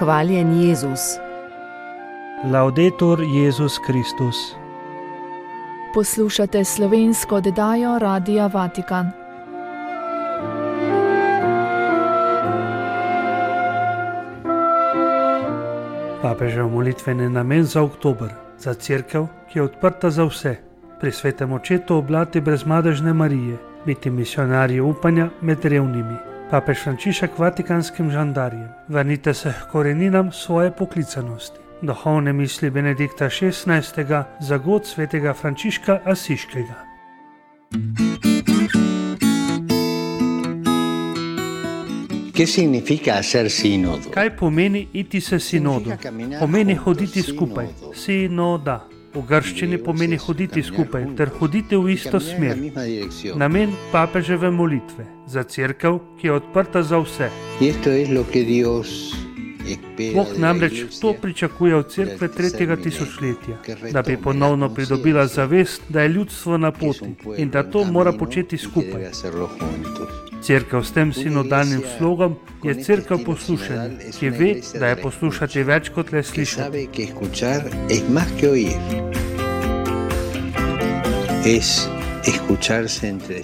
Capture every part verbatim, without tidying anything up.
Hvaljen Jezus. Laudetur Jezus Kristus. Poslušate slovensko oddajo Radia Vatikan. Papežev molitveni namen za oktober, za cerkev, ki je odprta za vse, pri svetem očetu oblati brezmadežne Marije, biti misionarji upanja med revnimi. Papež Frančišek vatikanskim žandarjem: vrnite se k koreninam svoje poklicanosti. Duhovne misli Benedikta šestnajstega za god svetega Frančiška Asiškega. Kaj pomeni iti se sinodu? Pomeni hoditi skupaj. Sinoda. V grščini pomeni hoditi skupaj ter hoditi v isto smer. Namen papeževe molitve za cerkev, ki je odprta za vse. Bog namreč to pričakuje od cerkve tretjega tisočletja, da bi ponovno pridobila zavest, da je ljudstvo na poti in da to mora početi skupaj. Cerkev s tem sinodalnim slogom je cerkev poslušanja, ki ve, da je poslušati več kot le slišati.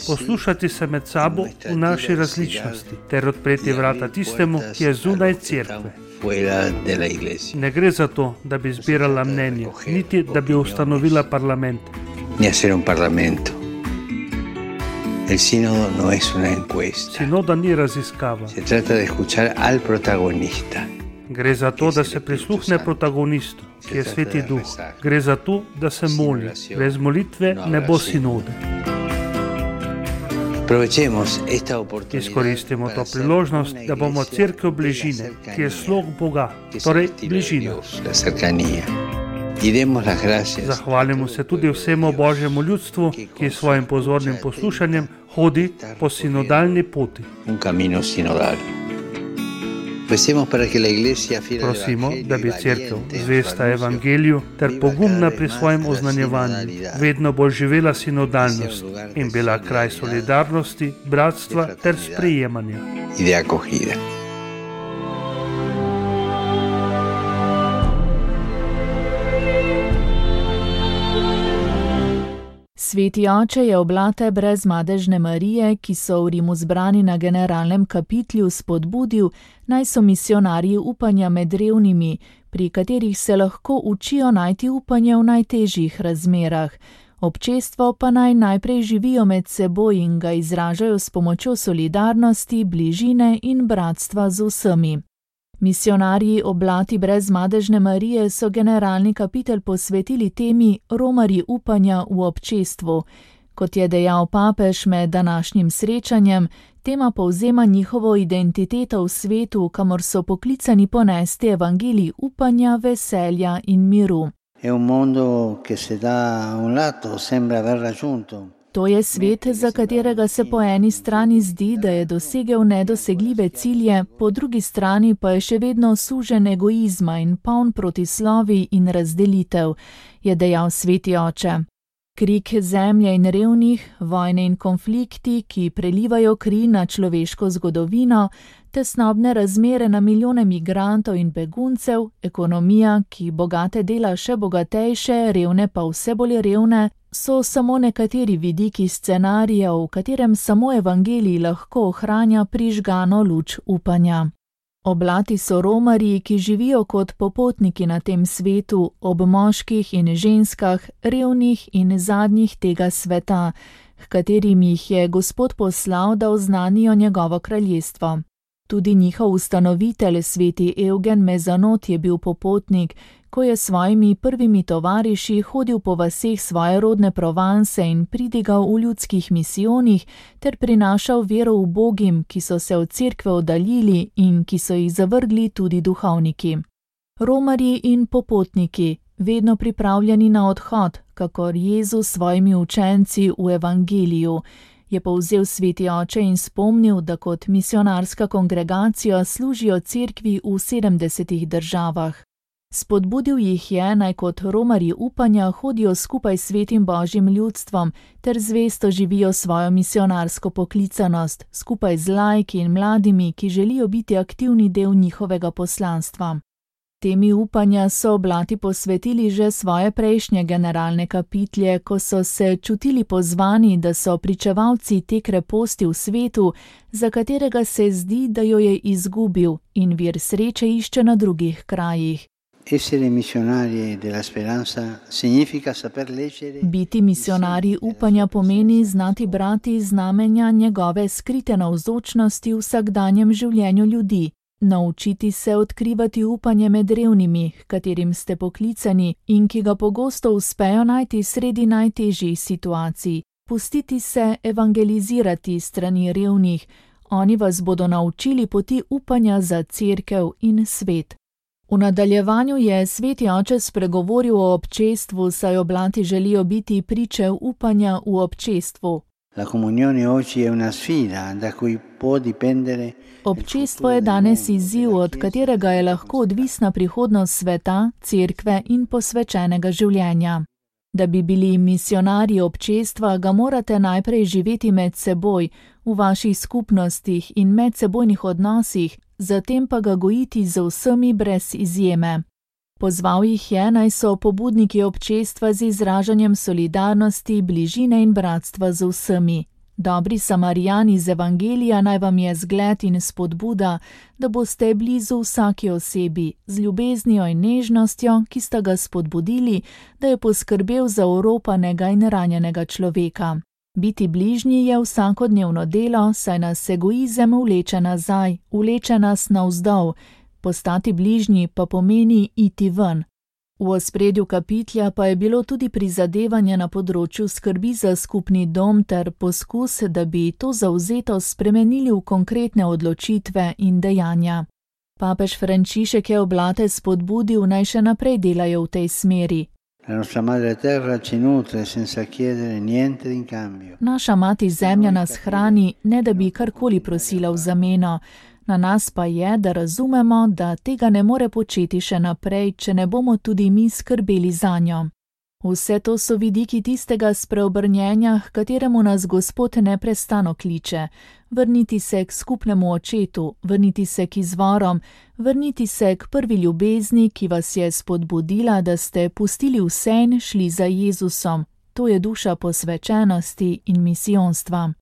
Poslušati se med sabo v naši različnosti ter odpreti vrata tistemu, ki je zunaj cerkve. Ne gre za to, da bi zbirala mnenje, niti da bi ustanovila parlament. El sínodo no es una encuesta. Sinoda ni raziskava. Se trata de escuchar al protagonista. Gre za to, da se prisluhne protagonistu, ki je Sveti Duh. Gre za to, da se moli. Brez molitve ne bo sinode. Izkoristimo to priložnost, da bomo cerkev bližine, ki je slog Boga, torej bližina. Zahvalimo se tudi vsemu Božjemu ljudstvu, ki s svojim pozornim poslušanjem hodi po sinodalni poti. Prosimo, da bi cerkev, zvesta evangeliju ter pogumna pri svojem oznanjevanju, vedno bolj živela sinodalnost in bila kraj solidarnosti, bratstva ter sprejemanja. Sveti oče je oblate brezmadežne Marije, ki so v Rimu zbrani na generalnem kapitlju, spodbudil, naj so misionarji upanja med revnimi, pri katerih se lahko učijo najti upanje v najtežjih razmerah. Občestvo pa naj najprej živijo med seboj in ga izražajo s pomočjo solidarnosti, bližine in bratstva z vsemi. Misionarji oblati brezmadežne Marije so generalni kapitel posvetili temi romarji upanja v občestvu. Kot je dejal papež med današnjim srečanjem, tema povzema njihovo identiteto v svetu, kamor so poklicani ponesti evangelij upanja, veselja in miru. È un mondo che se da un lato sembra aver raggiunto. To je svet, za katerega se po eni strani zdi, da je dosegel nedosegljive cilje, po drugi strani pa je še vedno sužen egoizma in poln protislovij in razdelitev, je dejal Sveti oče. Krik zemlje in revnih, vojne in konflikti, ki prelivajo kri na človeško zgodovino, tesnobne razmere na milijone migrantov in beguncev, ekonomija, ki bogate dela še bogatejše, revne pa vse bolj revne, so samo nekateri vidiki scenarija, v katerem samo evangelij lahko ohranja prižgano luč upanja. Oblati so romarji, ki živijo kot popotniki na tem svetu, ob moških in ženskah, revnih in zadnjih tega sveta, h katerim jih je Gospod poslal, da oznanijo njegovo kraljestvo. Tudi njihov ustanovitelj, sveti Evgen Mezanot, je bil popotnik, ko je svojimi prvimi tovariši hodil po vaseh svoje rodne Provence in pridigal v ljudskih misijonih ter prinašal vero v Bogim, ki so se od cerkve oddaljili in ki so jih zavrgli tudi duhovniki. Romarji in popotniki, vedno pripravljeni na odhod, kakor Jezus s svojimi učenci v evangeliju, je povzel Sveti oče in spomnil, da kot misionarska kongregacija služijo cerkvi v sedemdesetih državah. Spodbudil jih je, naj kot romarji upanja hodijo skupaj s svetim Božjim ljudstvom ter zvesto živijo svojo misionarsko poklicanost, skupaj z laiki in mladimi, ki želijo biti aktivni del njihovega poslanstva. Temi upanja so oblati posvetili že svoje prejšnje generalne kapitlje, ko so se čutili pozvani, da so pričevalci te kreposti v svetu, za katerega se zdi, da jo je izgubil in vir sreče išče na drugih krajih. Biti misionarji upanja pomeni znati brati znamenja njegove skrite navzočnosti v vsakdanjem življenju ljudi. Naučiti se odkrivati upanje med revnimi, katerim ste poklicani in ki ga pogosto uspejo najti sredi najtežjih situacij. Pustiti se evangelizirati strani revnih, oni vas bodo naučili poti upanja za cerkev in svet. V nadaljevanju je sveti oče spregovoril o občestvu, saj oblati želijo biti priče upanja v občestvu. Občestvo je danes izziv, od katerega je lahko odvisna prihodnost sveta, cerkve in posvečenega življenja. Da bi bili misionarji občestva, ga morate najprej živeti med seboj, v vaših skupnostih in medsebojnih odnosih, zatem pa ga gojiti z vsemi brez izjeme. Pozval jih je, naj so pobudniki občestva z izražanjem solidarnosti, bližine in bratstva z vsemi. Dobri Samarijani iz Evangelija naj vam je zgled in spodbuda, da boste blizu vsaki osebi, z ljubeznijo in nežnostjo, ki sta ga spodbudili, da je poskrbel za oropanega in ranjenega človeka. Biti bližnji je vsakodnevno delo, saj nas egoizem vleče nazaj, vleče nas navzdol, postati bližnji pa pomeni iti ven. V ospredju kapitlja pa je bilo tudi prizadevanje na področju skrbi za skupni dom ter poskus, da bi to zavzetost spremenili v konkretne odločitve in dejanja. Papež Frančišek je oblate spodbudil, naj še naprej delajo v tej smeri. Naša mati zemlja nas hrani, ne da bi karkoli prosila v zameno. Na nas pa je, da razumemo, da tega ne more početi še naprej, če ne bomo tudi mi skrbeli zanjo. Vse to so vidiki tistega spreobrnjenja, h kateremu nas Gospod neprestano kliče. Vrniti se k skupnemu očetu, vrniti se k izvorom, vrniti se k prvi ljubezni, ki vas je spodbudila, da ste pustili vse in šli za Jezusom. To je duša posvečenosti in misijonstva.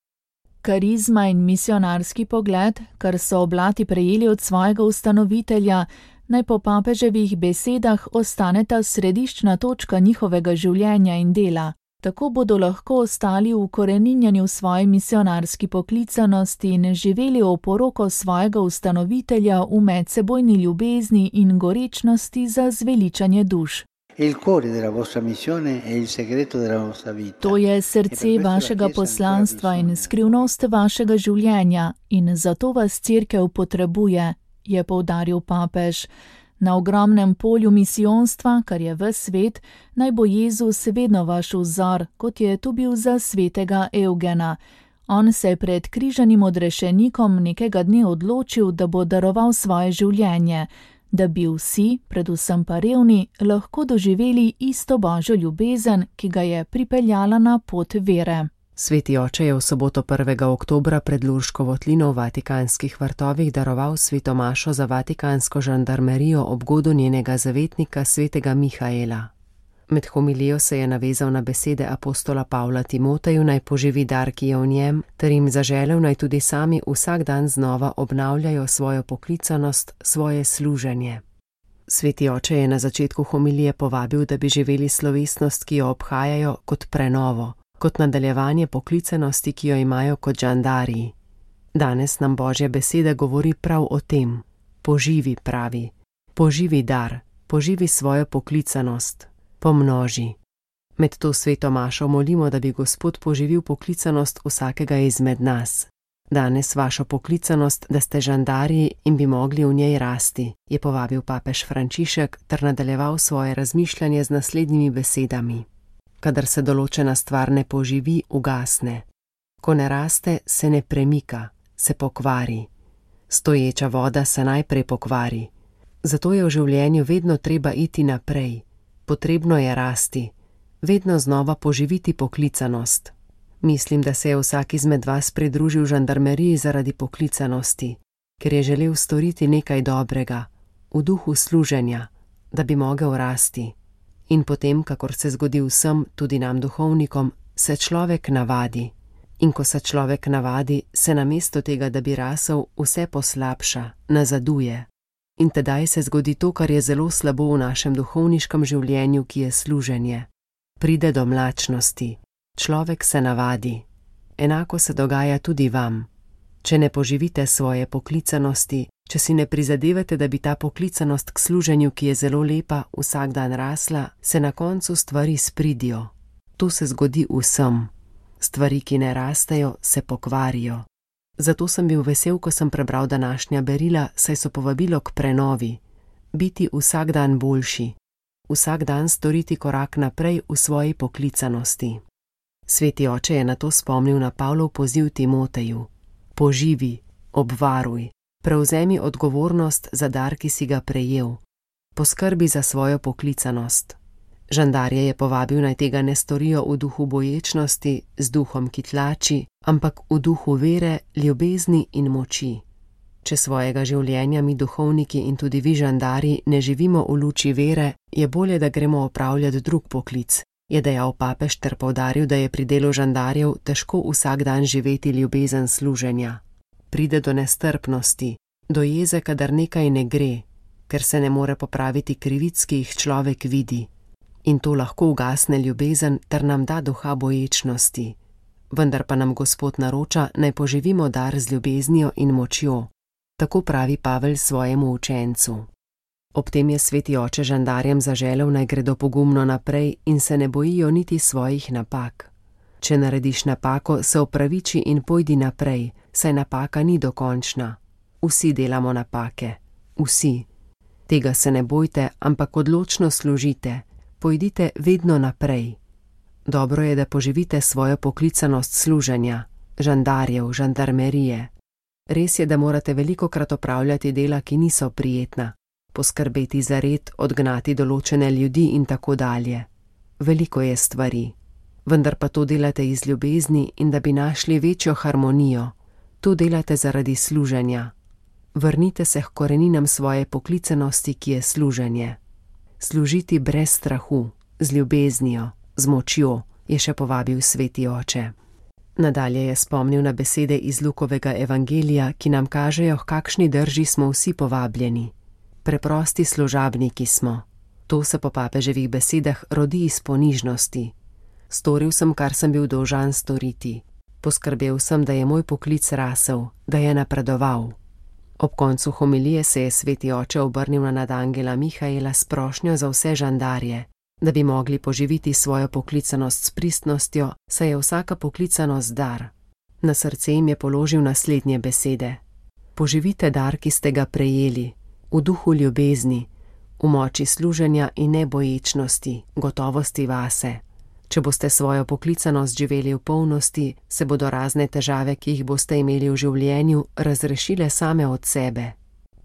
Karizma in misionarski pogled, kar so oblati prejeli od svojega ustanovitelja, naj po papeževih besedah ostaneta središčna točka njihovega življenja in dela. Tako bodo lahko ostali v koreninjanju svoje misionarski poklicanosti in živeli oporoko svojega ustanovitelja v medsebojni ljubezni in gorečnosti za zveličanje duš. To je srce vašega poslanstva in skrivnost vašega življenja in zato vas cerkev potrebuje, je poudaril papež. Na ogromnem polju misijonstva, kar je ves svet, naj bo Jezus vedno vaš vzor, kot je to bil za svetega Eugena. On se je pred križanim odrešenikom nekega dne odločil, da bo daroval svoje življenje, da bi vsi, predvsem pa revni, lahko doživeli isto božjo ljubezen, ki ga je pripeljala na pot vere. Sveti oče je v soboto prvega oktobra pred Lurško votlino v Vatikanskih vrtovih daroval sveto mašo za vatikansko žandarmerijo ob godu njenega zavetnika svetega Mihaela. Med homilijo se je navezal na besede apostola Pavla Timoteju, naj poživi dar, ki je v njem, ter jim zaželel, naj tudi sami vsak dan znova obnavljajo svojo poklicanost, svoje služenje. Sveti oče je na začetku homilije povabil, da bi živeli slovesnost, ki jo obhajajo, kot prenovo, kot nadaljevanje poklicanosti, ki jo imajo kot žandariji. Danes nam Božja beseda govori prav o tem. Poživi, pravi. Poživi dar, poživi svojo poklicanost. Pomnoži. Med to sveto mašo molimo, da bi Gospod poživil poklicanost vsakega izmed nas. Danes vašo poklicanost, da ste žandarji in bi mogli v njej rasti, je povabil papež Frančišek ter nadaljeval svoje razmišljanje z naslednjimi besedami. Kadar se določena stvar ne poživi, ugasne. Ko ne raste, se ne premika, se pokvari. Stoječa voda se najprej pokvari. Zato je v življenju vedno treba iti naprej. Potrebno je rasti, vedno znova poživiti poklicanost. Mislim, da se je vsak izmed vas pridružil žandarmeriji zaradi poklicanosti, ker je želel storiti nekaj dobrega, v duhu služenja, da bi mogel rasti. In potem, kakor se zgodi vsem, tudi nam duhovnikom, se človek navadi. In ko se človek navadi, se namesto tega, da bi rasel, vse poslabša, nazaduje. In tedaj se zgodi to, kar je zelo slabo v našem duhovniškem življenju, ki je služenje. Pride do mlačnosti. Človek se navadi. Enako se dogaja tudi vam. Če ne poživite svoje poklicanosti, če si ne prizadevate, da bi ta poklicanost k služenju, ki je zelo lepa, vsak dan rasla, se na koncu stvari spridijo. To se zgodi vsem. Stvari, ki ne rastejo, se pokvarijo. Zato sem bil vesel, ko sem prebral današnja berila, saj so povabilo k prenovi. Biti vsak dan boljši. Vsak dan storiti korak naprej v svoji poklicanosti. Sveti oče je na to spomnil na Pavlov poziv Timoteju. Poživi, obvaruj, prevzemi odgovornost za dar, ki si ga prejel. Poskrbi za svojo poklicanost. Žandarje je povabil, naj tega ne storijo v duhu boječnosti, z duhom, ki tlači, ampak v duhu vere, ljubezni in moči. Če svojega življenja mi duhovniki in tudi vi žandarji ne živimo v luči vere, je bolje, da gremo opravljati drug poklic, je dejal papež ter poudaril, da je pri delu žandarjev težko vsak dan živeti ljubezen služenja. Pride do nestrpnosti, do jeze, kadar nekaj ne gre, ker se ne more popraviti krivic, ki jih človek vidi. In to lahko ugasne ljubezen ter nam da duha boječnosti. Vendar pa nam Gospod naroča, naj poživimo dar z ljubeznijo in močjo. Tako pravi Pavel svojemu učencu. Ob tem je sveti oče žandarjem zaželel, naj gredo pogumno naprej in se ne bojijo niti svojih napak. Če narediš napako, se opraviči in pojdi naprej, saj napaka ni dokončna. Vsi delamo napake. Vsi. Tega se ne bojte, ampak odločno služite. Pojdite vedno naprej. Dobro je, da poživite svojo poklicanost služenja, žandarjev, žandarmerije. Res je, da morate velikokrat opravljati dela, ki niso prijetna, poskrbeti za red, odgnati določene ljudi in tako dalje. Veliko je stvari, vendar pa to delate iz ljubezni in da bi našli večjo harmonijo. To delate zaradi služenja. Vrnite se k koreninam svoje poklicanosti, ki je služenje. Služiti brez strahu, z ljubeznijo, z močjo, je še povabil sveti oče. Nadalje je spomnil na besede iz Lukovega evangelija, ki nam kažejo, kakšni drži smo vsi povabljeni. Preprosti služabniki smo. To se po papeževih besedah rodi iz ponižnosti. Storil sem, kar sem bil dolžan storiti. Poskrbel sem, da je moj poklic rasel, da je napredoval. Ob koncu homilije se je sveti oče obrnil na nadangela Mihaela s prošnjo za vse žandarje, da bi mogli poživiti svojo poklicanost s pristnostjo, saj je vsaka poklicanost dar. Na srce jim je položil naslednje besede. Poživite dar, ki ste ga prejeli, v duhu ljubezni, v moči služenja in neboječnosti, gotovosti vase. Če boste svojo poklicanost živeli v polnosti, se bodo razne težave, ki jih boste imeli v življenju, razrešile same od sebe.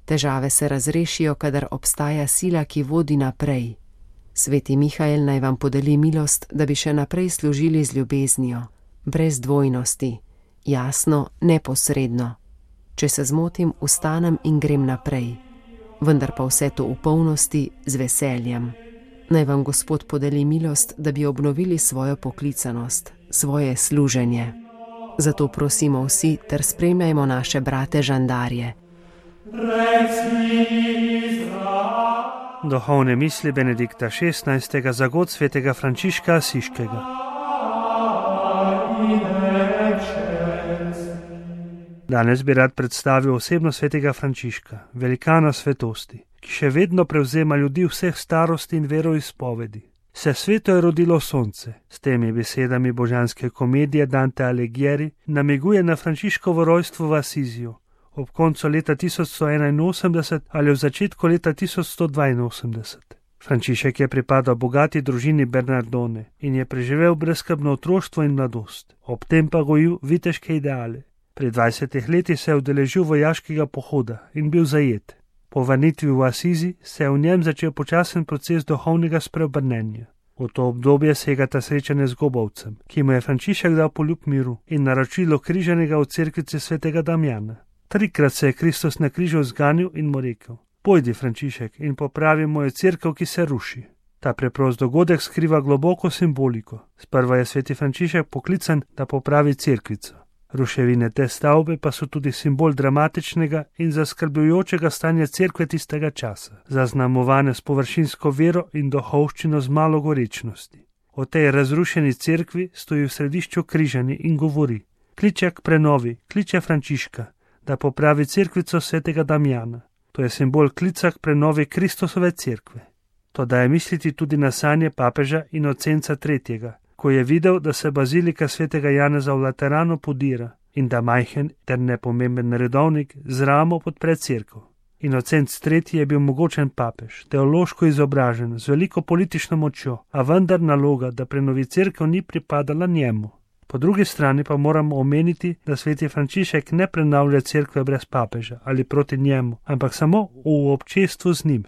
Težave se razrešijo, kadar obstaja sila, ki vodi naprej. Sveti Mihael naj vam podeli milost, da bi še naprej služili z ljubeznijo, brez dvojnosti, jasno, neposredno. Če se zmotim, vstanem in grem naprej, vendar pa vse to v polnosti z veseljem. Naj vam Gospod podeli milost, da bi obnovili svojo poklicanost, svoje služenje. Zato prosimo vsi ter spremljajmo naše brate žandarje. Duhovne misli Benedikta šestnajstega za god svetega Frančiška Asiškega. Danes bi rad predstavil osebnost svetega Frančiška, velikana svetosti, ki še vedno prevzema ljudi vseh starosti in veroizpovedi. Se sveto je rodilo sonce, s temi besedami božanske komedije Dante Alighieri namiguje na Frančiškovo rojstvo v Asiziju, ob koncu leta tisoč sto enainosemdeset ali v začetku leta tisoč sto dvainosemdeset. Frančišek je pripadal bogati družini Bernardone in je preživel brezskrbno otroštvo in mladost, ob tem pa gojil viteške ideale. Pri dvajsetih letih se je udeležil vojaškega pohoda in bil zajet. Po vrnitvi v Asizi se je v njem začel počasen proces duhovnega spreobrnenja. V to obdobje segata srečanje z Gobovcem, ki mu je Frančišek dal poljub miru in naročilo križanega v cerkvici svetega Damjana. Trikrat se je Kristus na križu zganil in mu rekel: Pojdi, Frančišek, in popravi mojo cerkev, ki se ruši. Ta preprost dogodek skriva globoko simboliko. Sprva je sveti Frančišek poklican, da popravi cerkvico. Ruševine te stavbe pa so tudi simbol dramatičnega in zaskrbljujočega stanja cerkve tistega časa, zaznamovane s površinsko vero in duhovščino z malo gorečnosti. O tej razrušeni cerkvi stoji v središču križani in govori: kliče k prenovi, kliče Frančiška, da popravi cerkvico svetega Damjana. To je simbol klica k prenovi Kristusove cerkve. To daje misliti tudi na sanje papeža Inocenca tretjega, ko je videl, da se bazilika svetega Janeza v Lateranu podira in da majhen ter nepomemben redovnik z ramo podpre cerkev. Inocenc tretji je bil mogočen papež, teološko izobražen, z veliko politično močjo, a vendar naloga, da prenovi cerkev, ni pripadala njemu. Po drugi strani pa moramo omeniti, da sveti Frančišek ne prenavlja cerkve brez papeža ali proti njemu, ampak samo v občestvu z njim.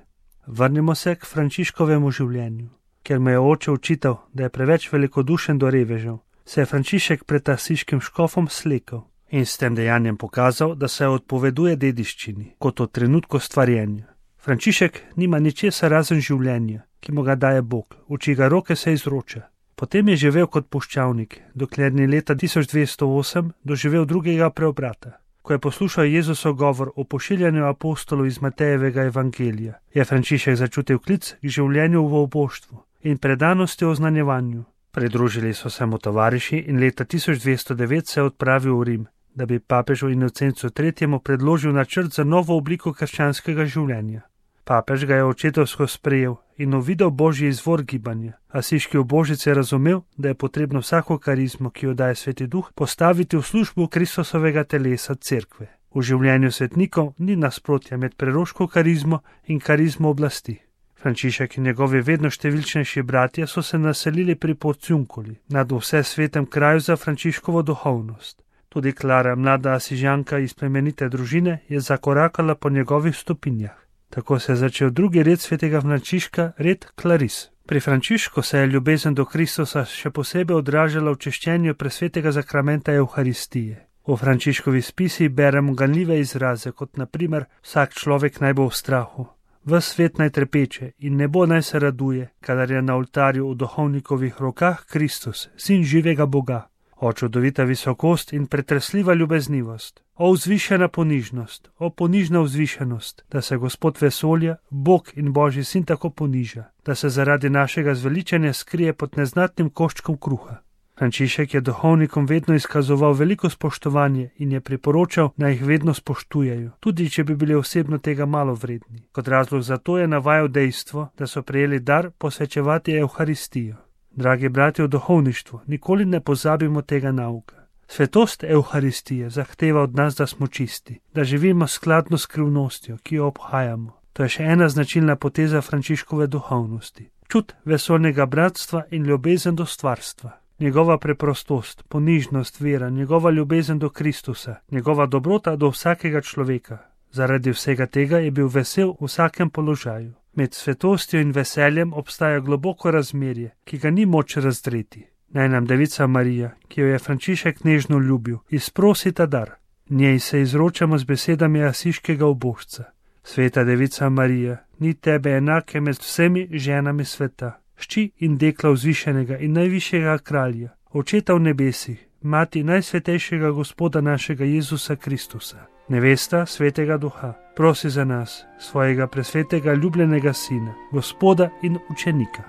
Vrnimo se k Frančiškovemu življenju. Ker me je oče učital, da je preveč velikodušen do revežev, se je Frančišek pred asiškim škofom slekel in s tem dejanjem pokazal, da se odpoveduje dediščini, kot od trenutku stvarjenja. Frančišek nima ničesar razen življenja, ki mu ga daje Bog, v čigar roke se izroča. Potem je živel kot puščavnik, dokler ni leta tisoč dvesto osem doživel drugega preobrata. Ko je poslušal Jezusov govor o pošiljanju apostolov iz Matejevega evangelija, je Frančišek začutil klic k življenju v oboštvu in predanosti oznanjevanju. Pridružili so se mu tovariši in leta tisoč dvesto devet se je odpravil v Rim, da bi papežu Inocencu tretjemu predložil načrt za novo obliko krščanskega življenja. Papež ga je očetovsko sprejel in uvidel božji izvor gibanja. Asiški ubožec je razumel, da je potrebno vsako karizmo, ki jo daje Sveti Duh, postaviti v službo Kristusovega telesa cerkve. V življenju svetnikov ni nasprotja med preroško karizmo in karizmo oblasti. Frančišek in njegovi vedno številčnejši bratje so se naselili pri Porciunkuli, nad vse svetem kraju za Frančiškovo duhovnost. Tudi Klara, mlada asižanka iz plemenite družine, je zakorakala po njegovih stopinjah. Tako se je začel drugi red svetega Frančiška, red Klaris. Pri Frančišku se je ljubezen do Kristusa še posebej odražala v češčenju presvetega zakramenta Evharistije. V Frančiškovi spisi beremo ganljive izraze, kot na primer: vsak človek naj bo v strahu, ves svet naj trepeče in nebo naj se raduje, kadar je na oltarju v duhovnikovih rokah Kristus, sin živega Boga. O čudovita visokost in pretresljiva ljubeznivost, o vzvišena ponižnost, o ponižna vzvišenost, da se Gospod vesolja, Bog in Božji sin tako poniža, da se zaradi našega zveličanja skrije pod neznatnim koščkom kruha. Frančišek je duhovnikom vedno izkazoval veliko spoštovanje in je priporočal, naj jih vedno spoštujejo, tudi če bi bili osebno tega malo vredni. Kot razlog za to je navajal dejstvo, da so prejeli dar posvečevati Evharistijo. Dragi bratje v duhovništvu, nikoli ne pozabimo tega nauka. Svetost Evharistije zahteva od nas, da smo čisti, da živimo skladno s skrivnostjo, ki jo obhajamo. To je še ena značilna poteza Frančiškove duhovnosti. Čut vesolnega bratstva in ljubezen do stvarstva. Njegova preprostost, ponižnost, vera, njegova ljubezen do Kristusa, njegova dobrota do vsakega človeka. Zaradi vsega tega je bil vesel v vsakem položaju. Med svetostjo in veseljem obstaja globoko razmerje, ki ga ni moč razdreti. Naj nam Devica Marija, ki jo je Frančišek nežno ljubil, izprosi ta dar. Njej se izročamo z besedami asiškega ubožca. Sveta Devica Marija, ni tebe enake med vsemi ženami sveta, šči in dekla vzvišenega in najvišjega kralja, očeta v nebesih, mati najsvetejšega Gospoda našega Jezusa Kristusa, nevesta svetega Duha, prosi za nas, svojega presvetega ljubljenega sina, Gospoda in učenika.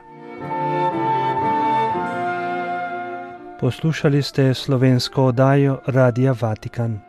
Poslušali ste slovensko oddajo Radia Vatikan.